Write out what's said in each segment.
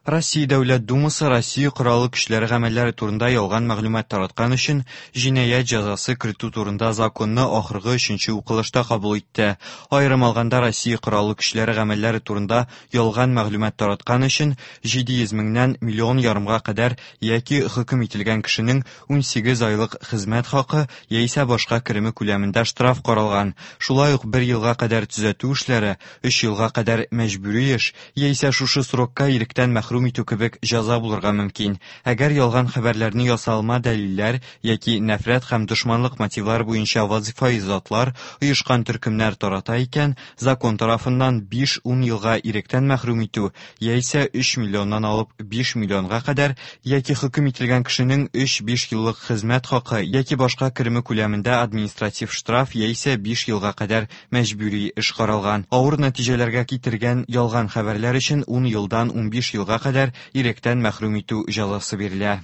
Россия Дәүләт Думасы Россия Кораллы Көчләре гамәлләре турында ялган мәгълүмат тараткан өчен җинаять җәзасы кертү турында законны ахыргы өченче укылышта кабул итте. Аерым алганда, Россия Кораллы Көчләре гамәлләре турында ялган мәгълүмат тараткан өчен 700 меңнән миллион ярымга кадәр яки хөкем ителгән кешенең 18 айлык хезмәт хакы яисә башка кереме күләмендә штраф каралган. Шулай ук бер елга кадәр төзәтү эшләре, өч елга кадәр мәҗбүри эш яисә шушы срокка иректән мәхрүм итү кебек җәза булырга мөмкин. Әгәр ялган хәбәрләрне ясалма дәлилләр яки нәфрәт һәм дошманлык мотивлары буенча вазифаи затлар, оешкан төркемнәр тарата икән, закон тарафыннан 5-10 елга иректән мәхрүм итү яисә 3 миллионнан алып 5 миллионга кадәр яки хөкем ителгән кешенең 3-5 еллык хезмәт хакы яки башка кереме күләмендә административ штраф яисә 5 елга кадәр мәҗбүри эш каралган. Авыр нәтиҗәләргә китергән ялган хәбәрләр өчен 10 елдан 15 елга кадәр иректән мәхрүм итү җәзасы бирелә.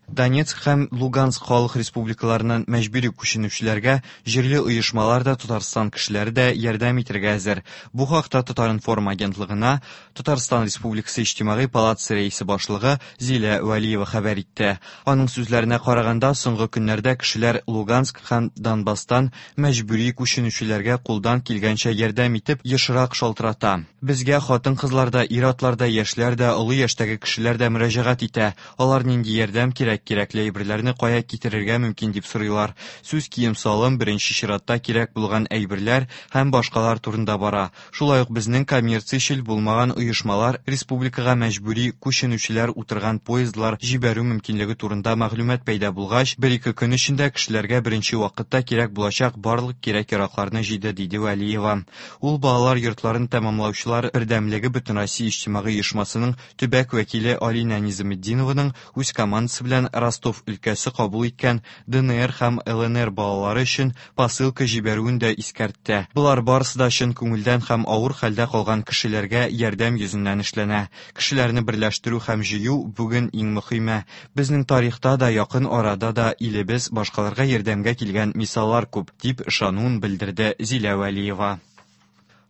Донецк һәм Луганск халык республикаларыннан мәҗбүри күченүчеләргә җирле оешмалар да, Татарстан кешеләре дә ярдәм итәргә әзер. Бу хакта Татар-информ агентлыгына Татарстан Республикасы Иҗтимагый палатасы рәисе башлыгы Зилә Вәлиева хәбәр итте. Аның сүзләренә караганда, соңгы көннәрдә кешеләр Луганск һәм Донбасстан мәҗбүри күченүчеләргә кулдан килгәнчә ярдәм итеп, ешрак шалтырата. Безгә хатын-кызлар да, ир-атлар да, яшьләр дә, олы яшьтәге кешеләр дә мөрәҗәгать итә. Алар нинди ярдәм кирәк, кирәкле әйберләрне кая китерергә мөмкин дип сорыйлар. Сүз кием-салым, беренче чиратта кирәк булган әйберләр һәм башкалар турында бара. Шулай ук безнең коммерциячел булмаган оешмалар республикага мәҗбүри күченүчеләр утырган поездлар җибәрү мөмкинлеге турында мәгълүмат пәйда булгач, бер-ике көн эчендә кешеләргә беренче вакытта кирәк булачак барлык кирәк-яракларны җыйды, диде Вәлиева. Ул балалар йортларын тәмамлаучылар бердәмлеге Бөтенроссия иҗтимагый оешмасының төбәк вәкиле Алинә Низаметдинованың үз командасы белән Ростов өлкәсе кабул иткән ДНР һәм ЛНР балалары өчен посылка җибәрүен дә искәртте. Болар барысы да чын күңелдән һәм авыр хәлдә калган кешеләргә ярдәм йөзеннән эшләнә. Кешеләрне берләштерү һәм җыю бүген иң мөхиме. Безнең тарихта да, якын арада да илебез башкаларга ярдәмгә килгән мисаллар күп, дип ышануын белдерде Зилә Вәлиева.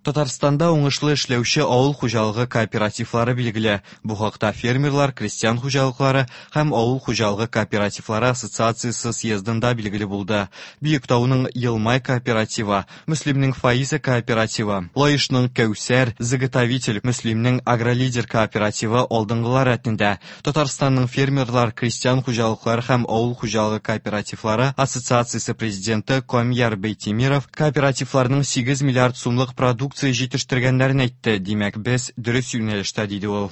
Татарстанда уңышлы эшләүче авыл хуҗалыгы кооперативлары билгеле. Бу хакта фермерлар, крестьян хуҗалыклары һәм авыл хуҗалыгы кооперативлары ассоциациясе съездында билгеле булды. Биектауның Елмай кооперативы, Мөслимнең Фаиза кооперативы, Лаешның Кәүсәр, Заготовитель, Мөслимнең Агролидер кооперативы алдынгылар рәтендә. Татарстанның фермерлар, крестьян хуҗалыклары һәм авыл хуҗалыгы кооперативлары ассоциациясе президенты Камьяр Бейтемиров кооперативларның 8 миллиард сумлык продукция җитештергәннәрен әйтте. Димәк, без дөрес юнәлештә, диде ул.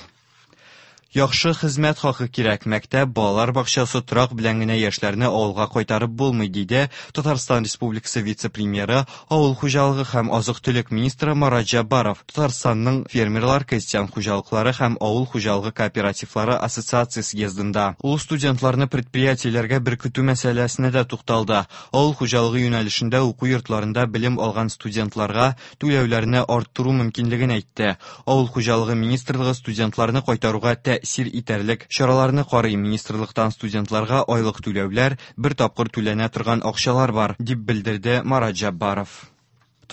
Яхшы хезмәт хакы кирәк, мәктәп, балалар бакчасы, торак белән генә яшьләрне авылга кайтарып булмый, диде Татарстан Республикасы вице-премьеры, авыл хуҗалыгы һәм азык-төлек министры Марат Җәббаров. Татарстанның фермерлар, крестьян хуҗалыклары һәм авыл хуҗалыгы кооперативлары ассоциация съездында. Ул студентларны предприятиеләргә беркетү мәсьәләсенә дә тукталды. Авыл хуҗалыгы юнәлешендә уку йортларында белем алган студентларга түләүләрне арттыру мөмкинлеген әйтте. Авыл хуҗалыгы министрлыгы студентларны кайтаруга тәэсир итәрлек чараларны карый. Министрлыктан студентларга айлык түләүләр, бер тапкыр түләнә торган акчалар бар, дип белдерде Марат Җәббаров.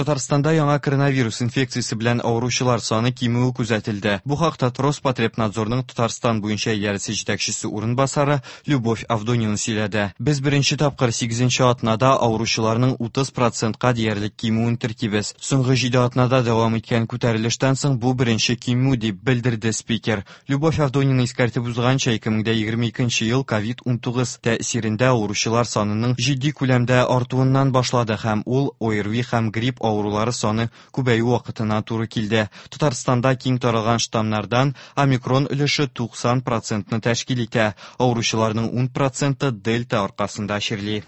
Татарстанда яңа коронавирус инфекциясе белән авыручылар саны кимүе күзәтелде. Бу хакта Роспотребнадзорның Татарстан буенча идарәсе җитәкчесе урынбасары Любовь Авдонина сөйләде. Без беренче тапкыр 8 атнада авыручыларның 30 процентка диярлек кимүен теркибез. Соңгы 7 атнада дәвам иткән күтәрелештән соң бу беренче кимү, дип белдерде спикер. Любовь Авдонина искәртеп узганча, 2022 ел COVID-19 тәэсирендә авыручылар санының җитди күләмдә артуыннан башлады һәм ул ОРВИ һәм грипп авырулары саны күбәю вакытына туры килде. Татарстанда киң таралган штаммнардан омикрон өлеше 90 процентны тәшкил итә. Авыручыларның 10 проценты дельта аркасында чирли.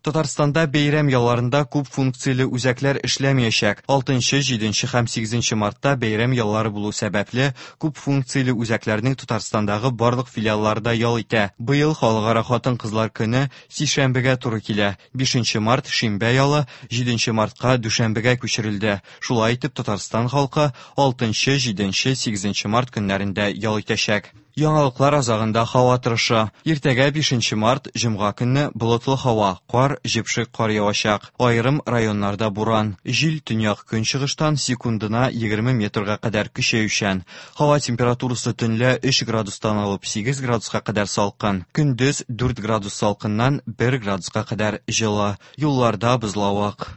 Татарстанда бәйрәм ялларында күп функцияле үзәкләр эшләмәячәк. 6, 7 һәм 8 мартта бәйрәм яллары булу сәбәпле, күп функцияле үзәкләрнең Татарстандагы барлык филиаллары да ял итә. Быел Халыкара хатын-кызлар көне сишәмбегә туры килә. 5 март шимбә ялы 7 мартка дүшәмбегә күчерелде. Шулай итеп, Татарстан халкы 6, 7, 8 март көннәрендә ял итәчәк. Яңалыклар азагында һава торышы. Иртәгә 5 март, җомга көнне болытлы һава, кар, җепшек кар явачак. Аерым районнарда буран. Җил төньяк-көнчыгыштан секундына 20 метрга кадәр көчәючән. Һава температурасы төнлә 3 градустан алып 8 градуска кадәр салкын. Көндез 4 градус салкыннан 1 градуска кадәр җылы. Юлларда бозлавык.